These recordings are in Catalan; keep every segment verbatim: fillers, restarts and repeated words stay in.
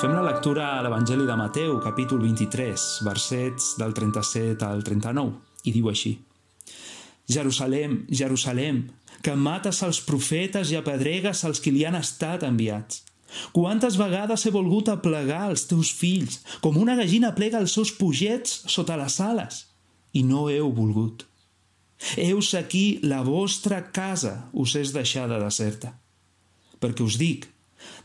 Fem la lectura a l'Evangeli de Mateu, capítol vint-i-tres, versets del trenta-set al trenta-nou, i diu així: Jerusalem, Jerusalem, que mates els profetes i apedregues els que li han estat enviats. Quantes vegades he volgut aplegar els teus fills, com una gallina plega els seus pugets sota les ales, i no heu volgut. Heus aquí la vostra casa us és deixada deserta. Perquè us dic,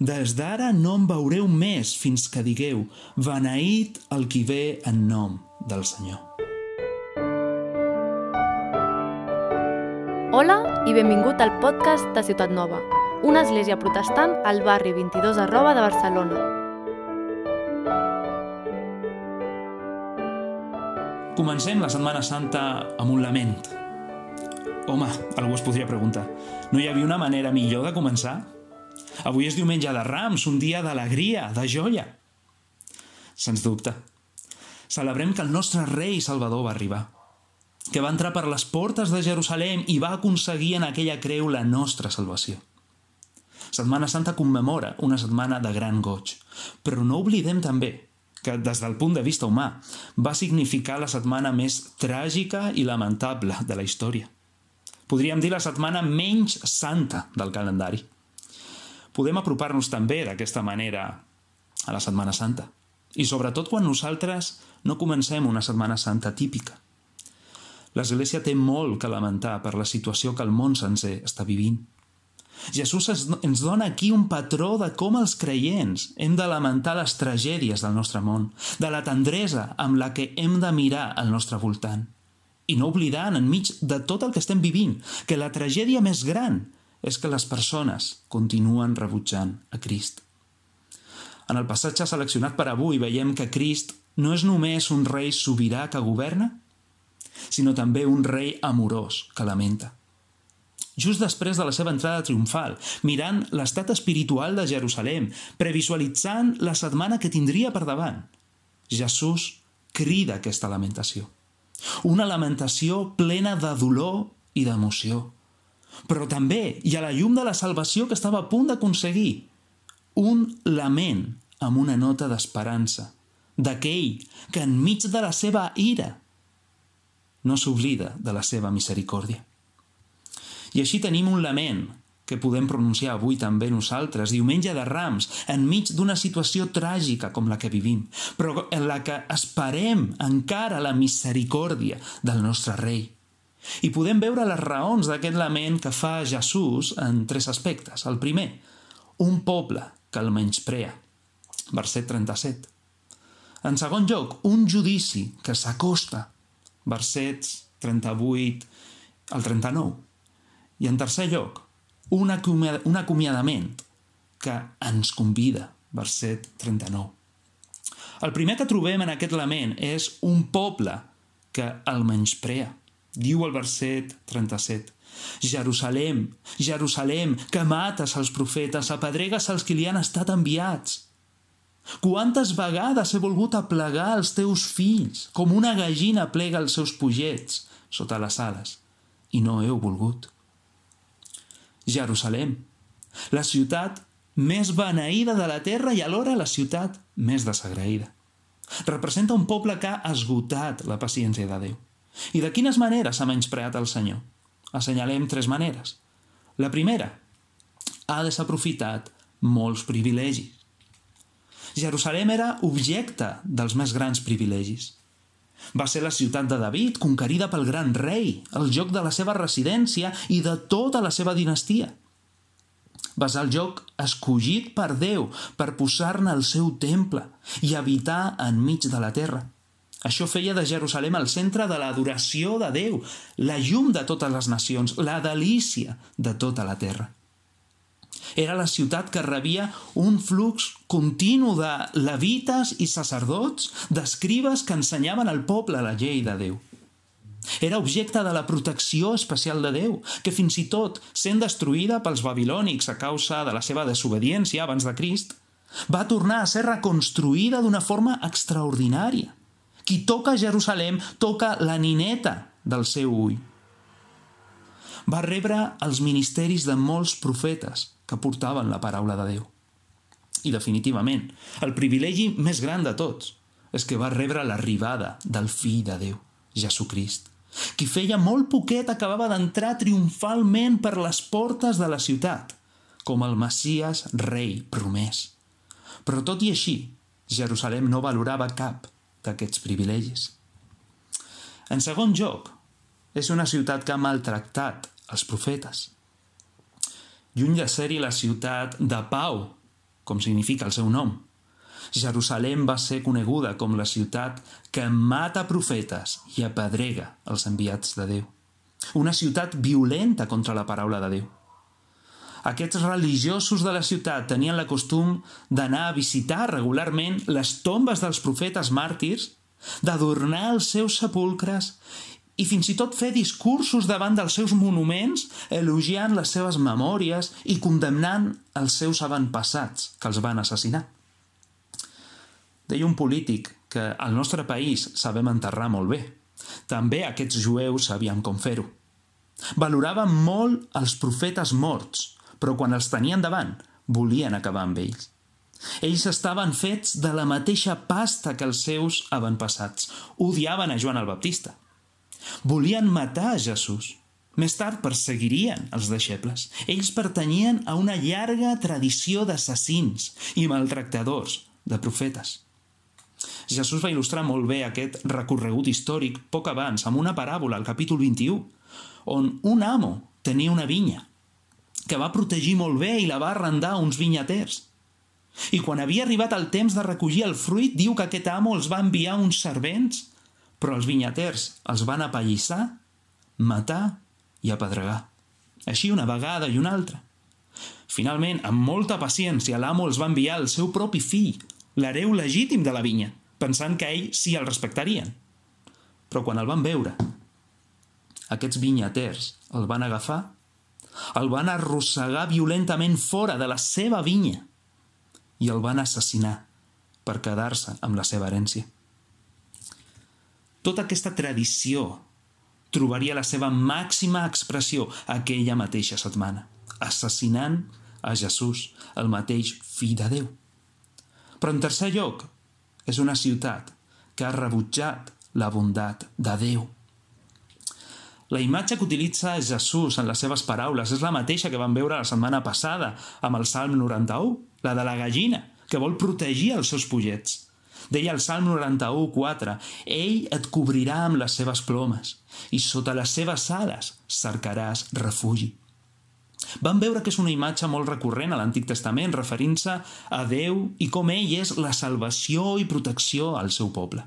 des d'ara no em veureu més fins que digueu, beneït el qui ve en nom del Senyor. Hola i benvingut al podcast de Ciutat Nova, una església protestant al barri vint-i-dos arroba de Barcelona. Comencem la Setmana Santa amb un lament. Home, algú es podria preguntar, no hi havia una manera millor de començar? Avui és diumenge de Rams, un dia d'alegria, de joia. Sens dubte. Celebrem que el nostre rei Salvador va arribar, que va entrar per les portes de Jerusalem i va aconseguir en aquella creu la nostra salvació. Setmana Santa commemora una setmana de gran goig, però no oblidem també que, des del punt de vista humà, va significar la setmana més tràgica i lamentable de la història. Podríem dir la setmana menys santa del calendari. Podem apropar-nos també d'aquesta manera a la Setmana Santa, i sobretot quan nosaltres no comencem una Setmana Santa típica. L'Església té molt que lamentar per la situació que el món sencer està vivint. Jesús ens dona aquí un patró de com els creients hem de lamentar les tragèdies del nostre món, de la tendresa amb la que hem de mirar al nostre voltant. I no oblidant, enmig de tot el que estem vivint, que la tragèdia més gran és que les persones continuen rebutjant a Crist. En el passatge seleccionat per avui veiem que Crist no és només un rei sobirà que governa, sinó també un rei amorós que lamenta. Just després de la seva entrada triomfal, mirant l'estat espiritual de Jerusalem, previsualitzant la setmana que tindria per davant, Jesús crida aquesta lamentació. Una lamentació plena de dolor i d'emoció. Però també, i a la llum de la salvació que estava a punt d'aconseguir, un lament amb una nota d'esperança, d'aquell que enmig de la seva ira no s'oblida de la seva misericòrdia. I així tenim un lament que podem pronunciar avui també nosaltres, diumenge de Rams, enmig d'una situació tràgica com la que vivim, però en la que esperem encara la misericòrdia del nostre rei. I podem veure les raons d'aquest lament que fa Jesús en tres aspectes. El primer, un poble que el menysprea, verset trenta-set. En segon lloc, un judici que s'acosta, versets trenta-vuit al trenta-nou. I en tercer lloc, un acomiadament que ens convida, verset trenta-nou. El primer que trobem en aquest lament és un poble que el menysprea. Diu el verset trenta-set, Jerusalem, Jerusalem, que mates els profetes, apedregues els que li han estat enviats. Quantes vegades he volgut aplegar els teus fills, com una gallina plega els seus pugets sota les ales, i no heu volgut. Jerusalem, la ciutat més beneïda de la terra i alhora la ciutat més desagraïda. Representa un poble que ha esgotat la paciència de Déu. I de quines maneres ha menyspreat el Senyor? Assenyalem tres maneres. La primera, ha desaprofitat molts privilegis. Jerusalem era objecte dels més grans privilegis. Va ser la ciutat de David, conquerida pel gran rei, el lloc de la seva residència i de tota la seva dinastia. Va ser el lloc escollit per Déu per posar-ne el seu temple i habitar enmig de la terra. Això feia de Jerusalem el centre de l'adoració de Déu, la llum de totes les nacions, la delícia de tota la terra. Era la ciutat que rebia un flux continu de levites i sacerdots, d'escribes que ensenyaven al poble la llei de Déu. Era objecte de la protecció especial de Déu, que fins i tot, sent destruïda pels babilònics a causa de la seva desobediència abans de Crist, va tornar a ser reconstruïda d'una forma extraordinària. Qui toca Jerusalem toca la nineta del seu ull. Va rebre els ministeris de molts profetes que portaven la paraula de Déu. I definitivament, el privilegi més gran de tots és que va rebre l'arribada del fill de Déu, Jesucrist, qui feia molt poquet acabava d'entrar triomfalment per les portes de la ciutat, com el Messies rei promès. Però tot i així, Jerusalem no valorava cap d'aquests privilegis. En segon lloc, és una ciutat que ha maltractat els profetes. Lluny de ser-hi la ciutat de pau, com significa el seu nom, Jerusalem va ser coneguda com la ciutat que mata profetes i apedrega els enviats de Déu. Una ciutat violenta contra la paraula de Déu. Aquests religiosos de la ciutat tenien la costum d'anar a visitar regularment les tombes dels profetes màrtirs, d'adornar els seus sepulcres i fins i tot fer discursos davant dels seus monuments, elogiant les seves memòries i condemnant els seus avantpassats que els van assassinar. Deia un polític que al nostre país sabem enterrar molt bé. També aquests jueus sabien com fer-ho. Valoraven molt els profetes morts, però quan els tenien davant volien acabar amb ells. Ells estaven fets de la mateixa pasta que els seus avantpassats. Odiaven a Joan el Baptista. Volien matar a Jesús. Més tard perseguirien els deixebles. Ells pertanyien a una llarga tradició d'assassins i maltractadors de profetes. Jesús va il·lustrar molt bé aquest recorregut històric poc abans amb una paràbola al capítol vint-i-u, on un amo tenia una vinya que va protegir molt bé i la va arrendar a uns vinyaters. I quan havia arribat el temps de recollir el fruit, diu que aquest amo els va enviar uns servents, però els vinyaters els van apallissar, matar i apedregar. Així una vegada i una altra. Finalment, amb molta paciència, l'amo els va enviar el seu propi fill, l'hereu legítim de la vinya, pensant que ell sí el respectarien. Però quan el van veure, aquests vinyaters el van agafar, el van arrossegar violentament fora de la seva vinya i el van assassinar per quedar-se amb la seva herència. Tota aquesta tradició trobaria la seva màxima expressió aquella mateixa setmana, assassinant a Jesús, el mateix fill de Déu. Però en tercer lloc, és una ciutat que ha rebutjat la bondat de Déu. La imatge que utilitza Jesús en les seves paraules és la mateixa que vam veure la setmana passada amb el Salm noranta-u, la de la gallina, que vol protegir els seus pollets. Deia el Salm noranta-u, quatre, «Ell et cobrirà amb les seves plomes i sota les seves ales cercaràs refugi». Vam veure que és una imatge molt recurrent a l'Antic Testament, referint-se a Déu i com ell és la salvació i protecció al seu poble.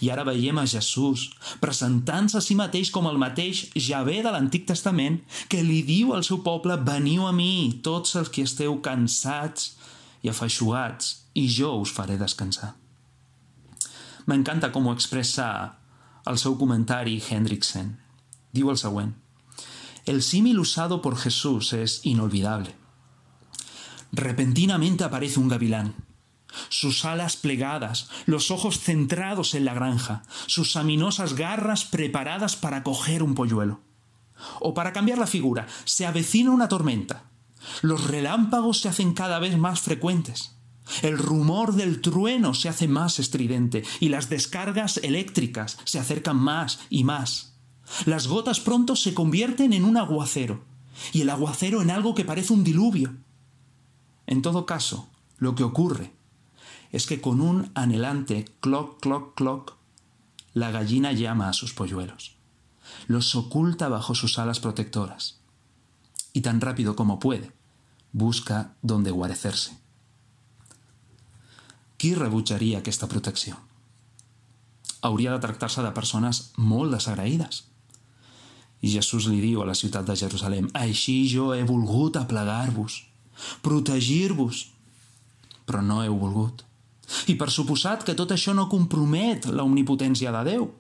I ara veiem a Jesús presentant-se a si mateix com el mateix Javé de l'Antic Testament que li diu al seu poble «Veniu a mi, tots els que esteu cansats i afeixugats, i jo us faré descansar». M'encanta com ho expressa el seu comentari Hendrickson. Diu el següent: «El símil usado por Jesús es inolvidable. Repentinamente aparece un gavilán. Sus alas plegadas, los ojos centrados en la granja, sus aminosas garras preparadas para coger un polluelo. O para cambiar la figura, se avecina una tormenta. Los relámpagos se hacen cada vez más frecuentes. El rumor del trueno se hace más estridente y las descargas eléctricas se acercan más y más. Las gotas pronto se convierten en un aguacero y el aguacero en algo que parece un diluvio. En todo caso, lo que ocurre es que con un anhelante cloc, cloc, cloc, la gallina llama a sus polluelos. Los oculta bajo sus alas protectoras y tan rápido como puede, busca donde guarecerse». Qui rebutjaria aquesta protecció? Hauria de tractar-se de persones molt desagraïdes. I Jesús li diu a la ciutat de Jerusalem: «Així jo he volgut aplegar-vos, protegir-vos, però no heu volgut». I per suposat que tot això no compromet la omnipotència de Déu.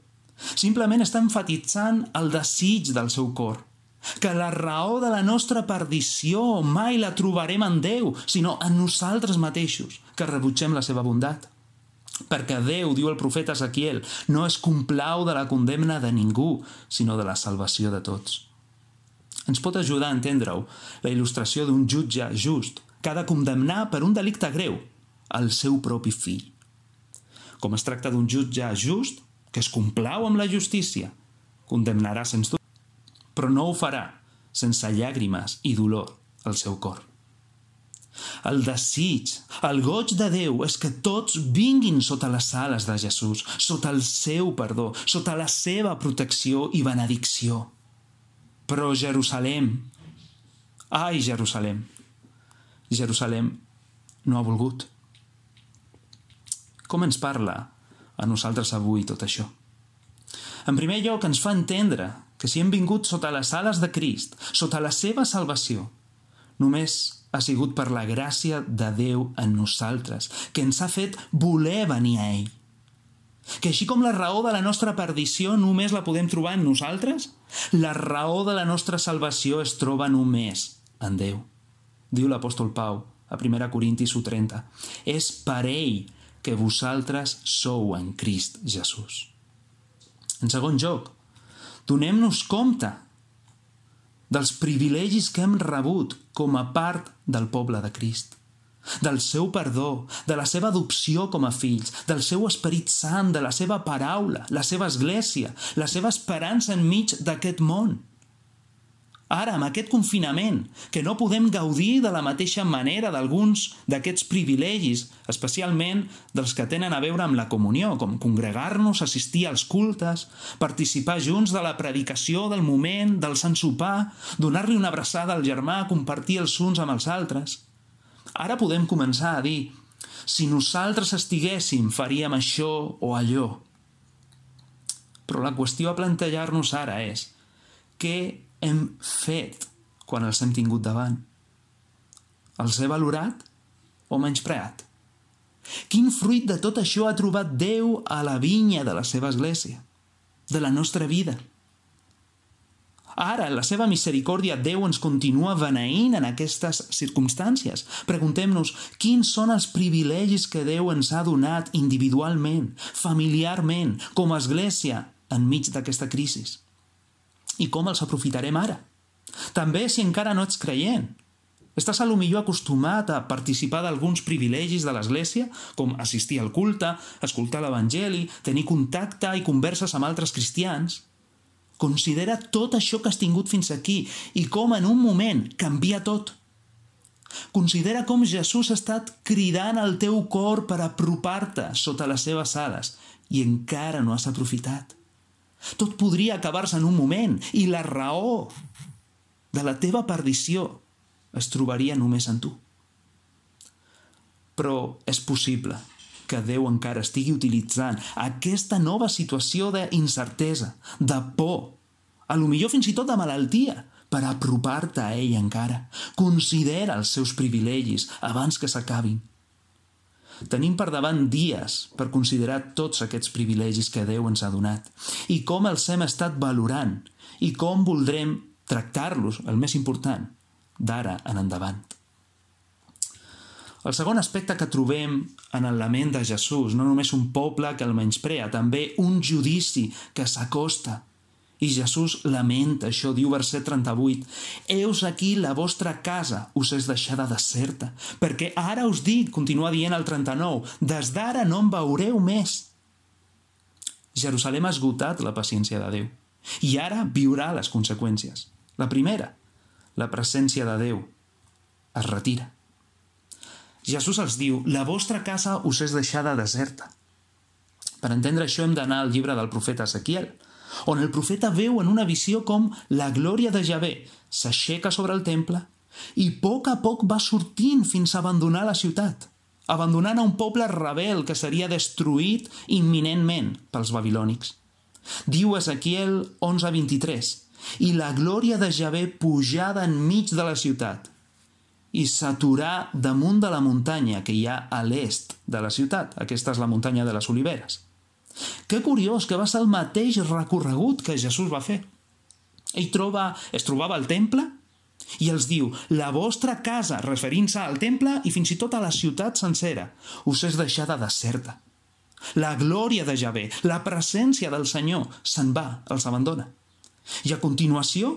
Simplement està enfatitzant el desig del seu cor, que la raó de la nostra perdició mai la trobarem en Déu, sinó en nosaltres mateixos, que rebutgem la seva bondat. Perquè Déu, diu el profeta Ezequiel, no es complau de la condemna de ningú, sinó de la salvació de tots. Ens pot ajudar a entendre-ho la il·lustració d'un jutge just que ha de condemnar per un delicte greu el seu propi fill. Com es tracta d'un jutge just, que es complau amb la justícia, condemnarà sens dubte, però no ho farà sense llàgrimes i dolor al seu cor. El desig, el goig de Déu és que tots vinguin sota les ales de Jesús, sota el seu perdó, sota la seva protecció i benedicció. Però Jerusalem, ai Jerusalem, Jerusalem no ha volgut. Com ens parla a nosaltres avui tot això? En primer lloc, ens fa entendre que si hem vingut sota les ales de Crist, sota la seva salvació, només ha sigut per la gràcia de Déu en nosaltres, que ens ha fet voler venir a ell. Que així com la raó de la nostra perdició només la podem trobar en nosaltres, la raó de la nostra salvació es troba només en Déu. Diu l'apòstol Pau a primera Corintis u trenta. És per ell que vosaltres sou en Crist Jesús. En segon lloc, donem-nos compte dels privilegis que hem rebut com a part del poble de Crist, del seu perdó, de la seva adopció com a fills, del seu Esperit Sant, de la seva paraula, la seva església, la seva esperança enmig d'aquest món. Ara, amb aquest confinament, que no podem gaudir de la mateixa manera d'alguns d'aquests privilegis, especialment dels que tenen a veure amb la comunió, com congregar-nos, assistir als cultes, participar junts de la predicació del moment, del sant sopar, donar-li una abraçada al germà, compartir els uns amb els altres. Ara podem començar a dir, si nosaltres estiguéssim, faríem això o allò. Però la qüestió a plantejar-nos ara és, què hem fet quan els hem tingut davant? Els he valorat o menyspreat? Quin fruit de tot això ha trobat Déu a la vinya de la seva església, de la nostra vida? Ara, en la seva misericòrdia, Déu ens continua beneint en aquestes circumstàncies. Preguntem-nos quins són els privilegis que Déu ens ha donat individualment, familiarment, com a església, enmig d'aquesta crisi. I com els aprofitarem ara? També si encara no ets creient. Estàs a lo millor acostumat a participar d'alguns privilegis de l'Església, com assistir al culte, escoltar l'Evangeli, tenir contacte i converses amb altres cristians. Considera tot això que has tingut fins aquí i com en un moment canvia tot. Considera com Jesús ha estat cridant al teu cor per apropar-te sota les seves ales i encara no has aprofitat. Tot podria acabar-se en un moment i la raó de la teva perdició es trobaria només en tu. Però és possible que Déu encara estigui utilitzant aquesta nova situació d'incertesa, de por, a lo millor fins i tot de malaltia, per apropar-te a ell encara. Considera els seus privilegis abans que s'acabin. Tenim per davant dies per considerar tots aquests privilegis que Déu ens ha donat i com els hem estat valorant i com voldrem tractar-los, el més important, d'ara en endavant. El segon aspecte que trobem en el lament de Jesús, no només un poble que el menysprea, també un judici que s'acosta. I Jesús lamenta això, diu verset trenta-vuit, «Heus aquí la vostra casa us és deixada deserta, perquè ara us dic», continua dient el trenta-nou, «des d'ara no em veureu més». Jerusalem ha esgotat la paciència de Déu i ara viurà les conseqüències. La primera, la presència de Déu es retira. Jesús els diu, «La vostra casa us és deixada deserta». Per entendre això hem d'anar al llibre del profeta Ezequiel, on el profeta veu en una visió com la glòria de Javé s'aixeca sobre el temple i a poc a poc va sortint fins a abandonar la ciutat, abandonant a un poble rebel que seria destruït imminentment pels babilònics. Diu Ezequiel onze vint-i-tres, «I la glòria de Javé pujada enmig de la ciutat i s'aturà damunt de la muntanya que hi ha a l'est de la ciutat». Aquesta és la muntanya de les Oliveres. Que curiós que va ser el mateix recorregut que Jesús va fer. Ell troba, es trobava al temple i els diu, la vostra casa, referint-se al temple i fins i tot a la ciutat sencera, us és deixada deserta. La glòria de Javé, la presència del Senyor, se'n va, els abandona. I a continuació,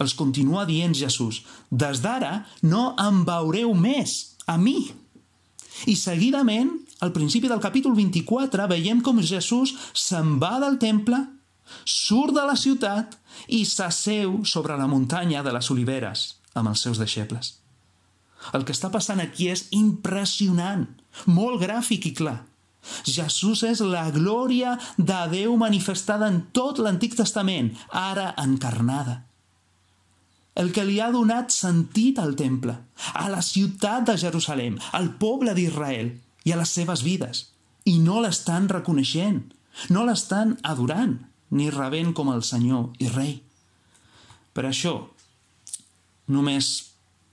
Els continua dient Jesús: des d'ara no em veureu més, a mi. I seguidament, al principi del capítol vint-i-quatre, veiem com Jesús se'n va del temple, surt de la ciutat i s'asseu sobre la muntanya de les Oliveres amb els seus deixebles. El que està passant aquí és impressionant, molt gràfic i clar. Jesús és la glòria de Déu manifestada en tot l'Antic Testament, ara encarnada. El que li ha donat sentit al temple, a la ciutat de Jerusalem, al poble d'Israel i a les seves vides. I no l'estan reconeixent, no l'estan adorant, ni rebent com el Senyor i Rei. Per això, només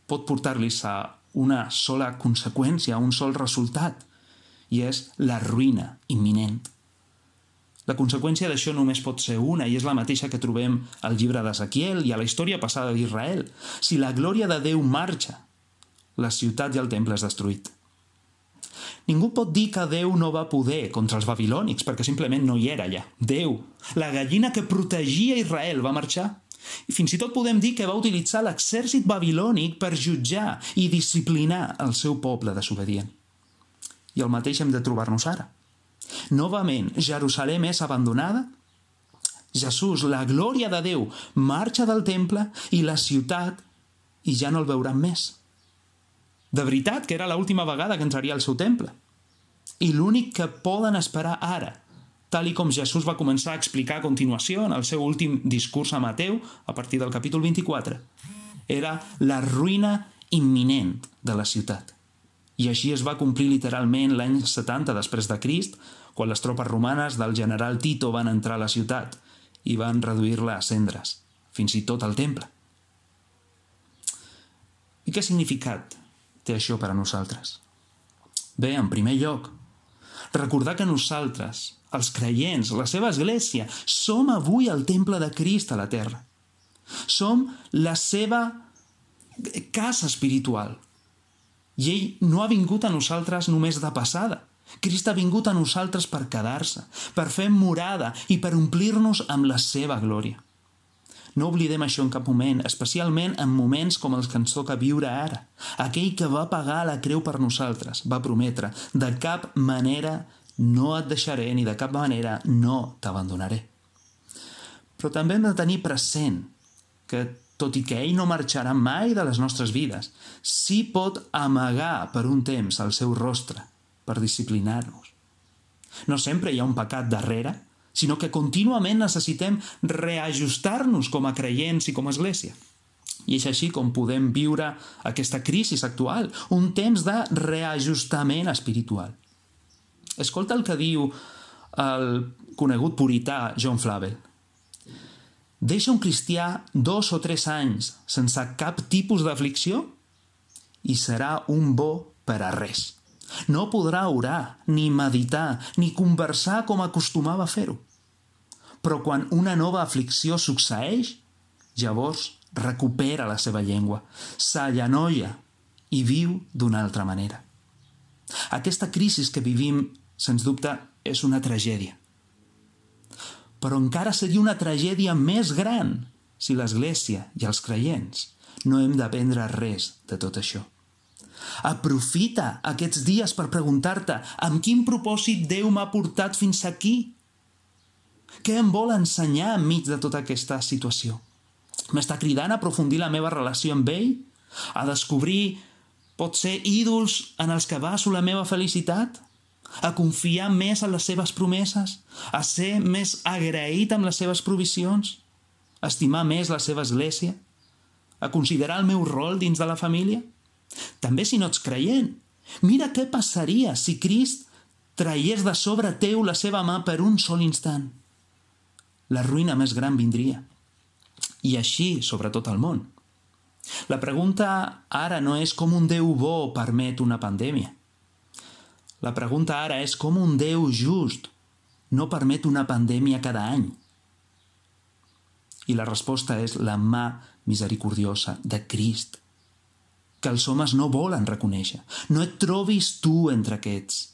pot portar-los a una sola conseqüència, a un sol resultat, i és la ruïna imminent. La conseqüència d'això només pot ser una, i és la mateixa que trobem al llibre d'Ezequiel i a la història passada d'Israel. Si la glòria de Déu marxa, la ciutat i el temple és destruït. Ningú pot dir que Déu no va poder contra els babilònics, perquè simplement no hi era allà. Déu, la gallina que protegia Israel, va marxar. I fins i tot podem dir que va utilitzar l'exèrcit babilònic per jutjar i disciplinar el seu poble desobedient. I el mateix hem de trobar-nos ara. Novament, Jerusalem és abandonada. Jesús, la glòria de Déu, marxa del temple i la ciutat i ja no el veuran més. De veritat que era l'última vegada que entraria al seu temple. I l'únic que poden esperar ara, tal i com Jesús va començar a explicar a continuació en el seu últim discurs a Mateu, a partir del capítol vint-i-quatre, era la ruïna imminent de la ciutat. I així es va complir literalment l'any setanta després de Crist, quan les tropes romanes del general Tito van entrar a la ciutat i van reduir-la a cendres, fins i tot al temple. I què significat té això per a nosaltres? Bé, en primer lloc, recordar que nosaltres, els creients, la seva església, som avui el temple de Crist a la terra. Som la seva casa espiritual. I ell no ha vingut a nosaltres només de passada. Crist ha vingut a nosaltres per quedar-se, per fer morada i per omplir-nos amb la seva glòria. No oblidem això en cap moment, especialment en moments com els que ens toca viure ara. Aquell que va pagar la creu per nosaltres va prometre: de cap manera no et deixaré ni de cap manera no t'abandonaré. Però també hem de tenir present que, tot i que ell no marxarà mai de les nostres vides, sí pot amagar per un temps el seu rostre per disciplinar-nos. No sempre hi ha un pecat darrere, sinó que contínuament necessitem reajustar-nos com a creients i com a església. I és així com podem viure aquesta crisi actual, un temps de reajustament espiritual. Escolta el que diu el conegut purità John Flavel. Deixa un cristià dos o tres anys sense cap tipus d'aflicció i serà un bo per a res. No podrà orar, ni meditar, ni conversar com acostumava a fer-ho. Però quan una nova aflicció succeeix, llavors recupera la seva llengua, s'allanoia i viu d'una altra manera. Aquesta crisi que vivim, sens dubte, és una tragèdia. Però encara seria una tragèdia més gran si l'Església i els creients no hem d'aprendre res de tot això. Aprofita aquests dies per preguntar-te amb quin propòsit Déu m'ha portat fins aquí. Què em vol ensenyar enmig de tota aquesta situació? M'està cridant a aprofundir la meva relació amb ell? A descobrir, potser, ídols en els que baso la meva felicitat? A confiar més en les seves promeses? A ser més agraït amb les seves provisions? A estimar més la seva església? A considerar el meu rol dins de la família? També si no ets creient, mira què passaria si Crist traiés de sobre teu la seva mà per un sol instant. La ruïna més gran vindria. I així sobre tot el món. La pregunta ara no és com un Déu bo permet una pandèmia. La pregunta ara és com un Déu just no permet una pandèmia cada any. I la resposta és la mà misericordiosa de Crist, que els homes no volen reconèixer. No et trobis tu entre aquests.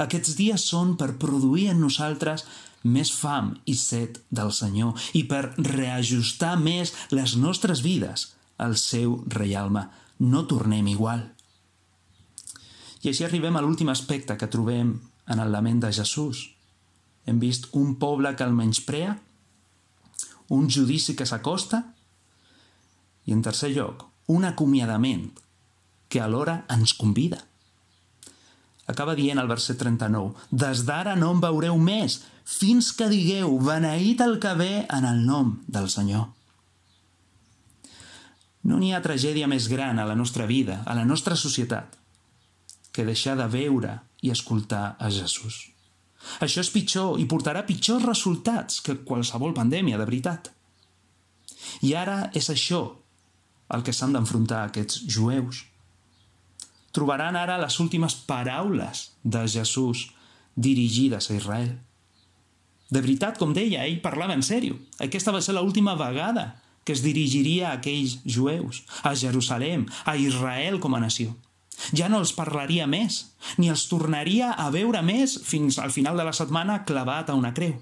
Aquests dies són per produir en nosaltres més fam i set del Senyor i per reajustar més les nostres vides al seu reialme. No tornem igual. I així arribem a l'últim aspecte que trobem en el lament de Jesús. Hem vist un poble que el menysprea, un judici que s'acosta i, en tercer lloc, un acomiadament que alhora ens convida. Acaba dient al verset trenta-nou: «Des d'ara no em veureu més, fins que digueu, beneït el que ve en el nom del Senyor». No n'hi ha tragèdia més gran a la nostra vida, a la nostra societat, que deixar de veure i escoltar a Jesús. Això és pitjor i portarà pitjors resultats que qualsevol pandèmia, de veritat. I ara és això el que s'han d'enfrontar aquests jueus. Trobaran ara les últimes paraules de Jesús dirigides a Israel. De veritat, com deia, ell parlava en sèrio. Aquesta va ser l'última vegada que es dirigiria a aquells jueus, a Jerusalem, a Israel com a nació. Ja no els parlaria més, ni els tornaria a veure més fins al final de la setmana clavat a una creu.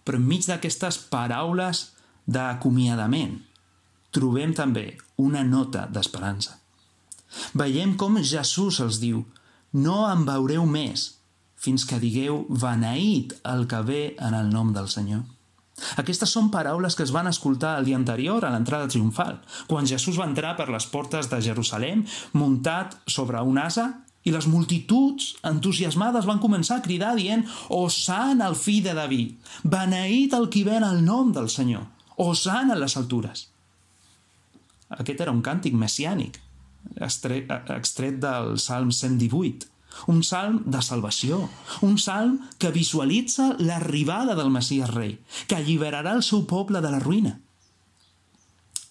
Però enmig d'aquestes paraules d'acomiadament, trobem també una nota d'esperança. Veiem com Jesús els diu: «No em veureu més fins que digueu, beneït el que ve en el nom del Senyor». Aquestes són paraules que es van escoltar el dia anterior a l'entrada triomfal, quan Jesús va entrar per les portes de Jerusalem muntat sobre un ase i les multituds entusiasmades van començar a cridar dient: «Hosana al fill de David, beneït el qui ve en el nom del Senyor, hosana en les altures». Aquest era un càntic messiànic, extret del Salm cent divuit, un salm de salvació, un salm que visualitza l'arribada del Messies rei, que alliberarà el seu poble de la ruïna.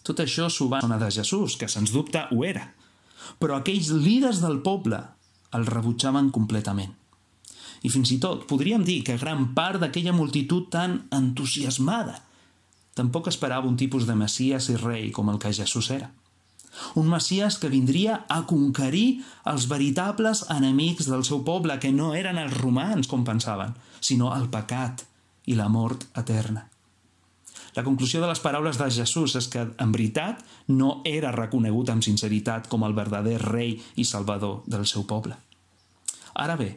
Tot això s'ho va donar de Jesús, que sens dubte ho era, però aquells líders del poble el rebutjaven completament. I fins i tot podríem dir que gran part d'aquella multitud tan entusiasmada tampoc esperava un tipus de Messies i rei com el que Jesús era. Un Messies que vindria a conquerir els veritables enemics del seu poble, que no eren els romans, com pensaven, sinó el pecat i la mort eterna. La conclusió de les paraules de Jesús és que, en veritat, no era reconegut amb sinceritat com el verdader rei i salvador del seu poble. Ara bé,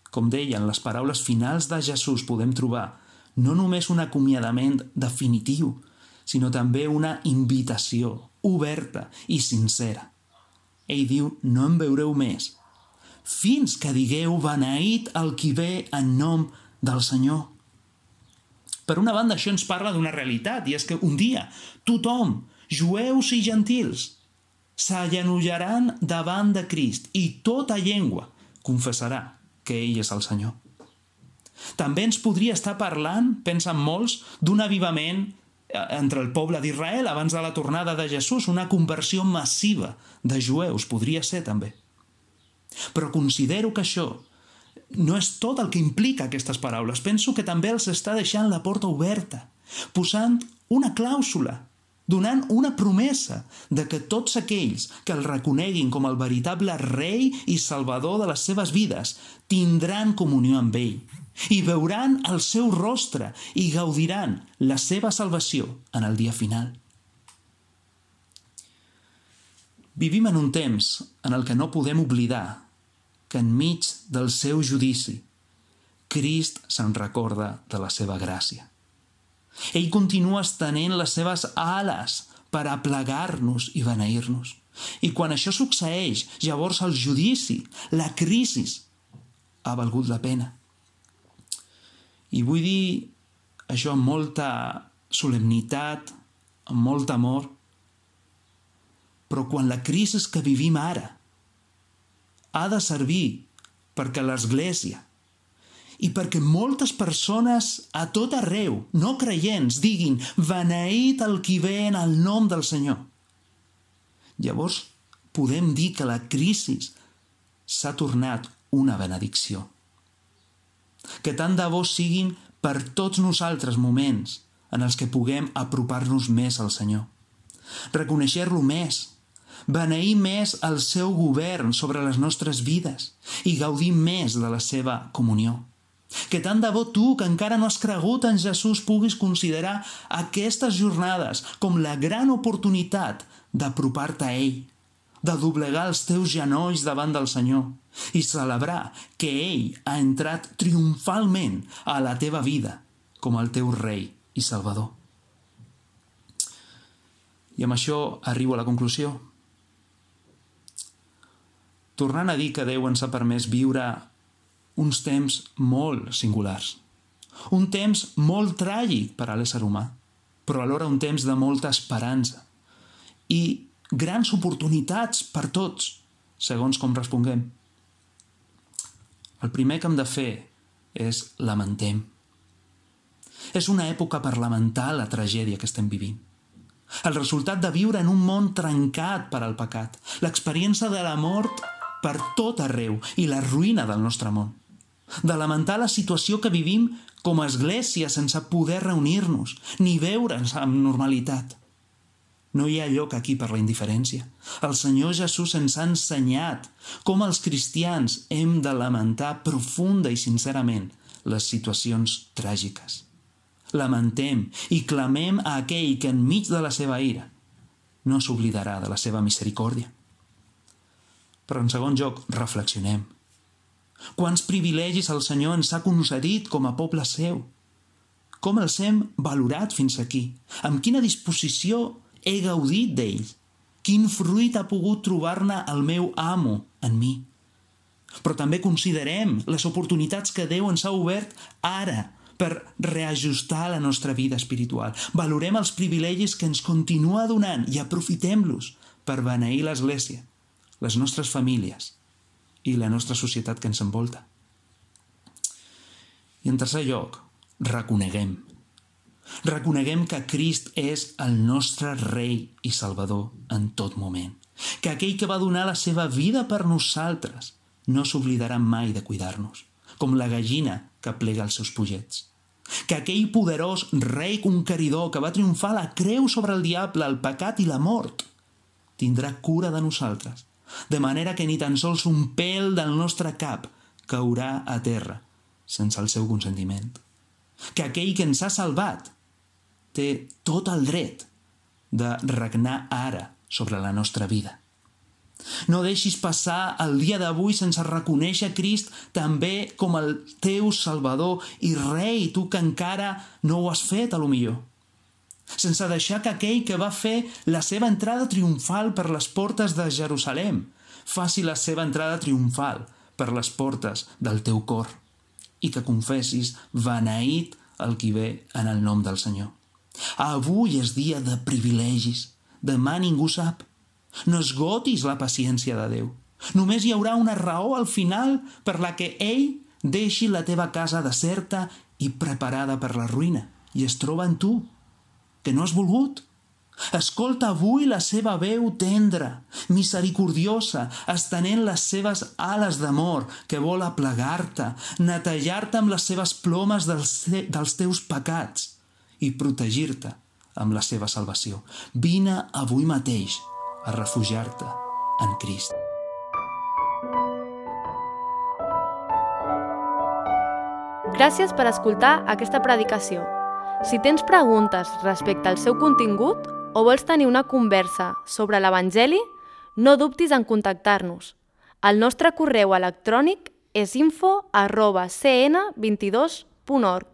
com deien, les paraules finals de Jesús podem trobar no només un acomiadament definitiu, sinó també una invitació oberta i sincera. Ell diu: «No em veureu més, fins que digueu, beneït el qui ve en nom del Senyor». Per una banda, això ens parla d'una realitat, i és que un dia tothom, jueus i gentils, s'agenollaran davant de Crist i tota llengua confessarà que ell és el Senyor. També ens podria estar parlant, pensen molts, d'un avivament entre el poble d'Israel abans de la tornada de Jesús, una conversió massiva de jueus, podria ser també. Però considero que això no és tot el que implica aquestes paraules. Penso que també els està deixant la porta oberta, posant una clàusula, donant una promesa de que tots aquells que el reconeguin com el veritable rei i salvador de les seves vides tindran comunió amb ell i veuran el seu rostre i gaudiran la seva salvació en el dia final. Vivim en un temps en el que no podem oblidar que enmig del seu judici Crist se'n recorda de la seva gràcia. Ell continua estenent les seves ales per aplegar-nos i beneir-nos. I quan això succeeix, llavors el judici, la crisi, ha valgut la pena. I vull dir això amb molta solemnitat, amb molt amor, però quan la crisi que vivim ara ha de servir perquè l'Església i perquè moltes persones a tot arreu, no creients, diguin beneït el qui ve en el nom del Senyor, llavors podem dir que la crisi s'ha tornat una benedicció. Que tant de bo siguin per tots nosaltres moments en els que puguem apropar-nos més al Senyor, reconèixer-lo més, beneir més el seu govern sobre les nostres vides i gaudir més de la seva comunió. Que tant de bo tu, que encara no has cregut en Jesús, puguis considerar aquestes jornades com la gran oportunitat d'apropar-te a ell, de doblegar els teus genolls davant del Senyor i celebrar que ell ha entrat triomfalment a la teva vida com el teu rei i salvador. I amb això arribo a la conclusió. Tornant a dir que Déu ens ha permès viure uns temps molt singulars, un temps molt tràgic per a l'ésser humà, però alhora un temps de molta esperança i grans oportunitats per tots, segons com responguem. El primer que hem de fer és lamentem. És una època per lamentar la tragèdia que estem vivint. El resultat de viure en un món trencat per al pecat, l'experiència de la mort per tot arreu i la ruïna del nostre món. De lamentar la situació que vivim com a església sense poder reunir-nos ni veure'ns amb normalitat. No hi ha lloc aquí per la indiferència. El Senyor Jesús ens ha ensenyat com els cristians hem de lamentar profunda i sincerament les situacions tràgiques. Lamentem i clamem a aquell que enmig de la seva ira no s'oblidarà de la seva misericòrdia. Però en segon lloc, reflexionem. Quants privilegis el Senyor ens ha concedit com a poble seu? Com els hem valorat fins aquí? Amb quina disposició he gaudit d'ells? Quin fruit ha pogut trobar-ne el meu amo en mi? Però també considerem les oportunitats que Déu ens ha obert ara per reajustar la nostra vida espiritual. Valorem els privilegis que ens continua donant i aprofitem-los per beneir l'Església, les nostres famílies i la nostra societat que ens envolta. I en tercer lloc, reconeguem. Reconeguem que Crist és el nostre rei i salvador en tot moment. Que aquell que va donar la seva vida per nosaltres no s'oblidarà mai de cuidar-nos, com la gallina que plega els seus pollets. Que aquell poderós rei conqueridor que va triomfar la creu sobre el diable, el pecat i la mort, tindrà cura de nosaltres, de manera que ni tan sols un pèl del nostre cap caurà a terra sense el seu consentiment. Que aquell que ens ha salvat té tot el dret de regnar ara sobre la nostra vida. No deixis passar el dia d'avui sense reconèixer Crist també com el teu Salvador i Rei, tu que encara no ho has fet, a lo millor. Sense deixar que aquell que va fer la seva entrada triomfal per les portes de Jerusalem faci la seva entrada triomfal per les portes del teu cor i que confessis beneït el qui ve en el nom del Senyor. Avui és dia de privilegis, demà ningú sap. No esgotis la paciència de Déu. Només hi haurà una raó al final per la que ell deixi la teva casa deserta i preparada per la ruïna i es troba en tu, que no has volgut. Escolta avui la seva veu tendra, misericordiosa, estenent les seves ales d'amor que vol aplegar-te, netejar-te amb les seves plomes dels, dels teus pecats i protegir-te amb la seva salvació. Vine avui mateix a refugiar-te en Crist. Gràcies per escoltar aquesta predicació. Si tens preguntes respecte al seu contingut o vols tenir una conversa sobre l'Evangeli, no dubtis en contactar-nos. El nostre correu electrònic és info arroba c n vint dos punt org.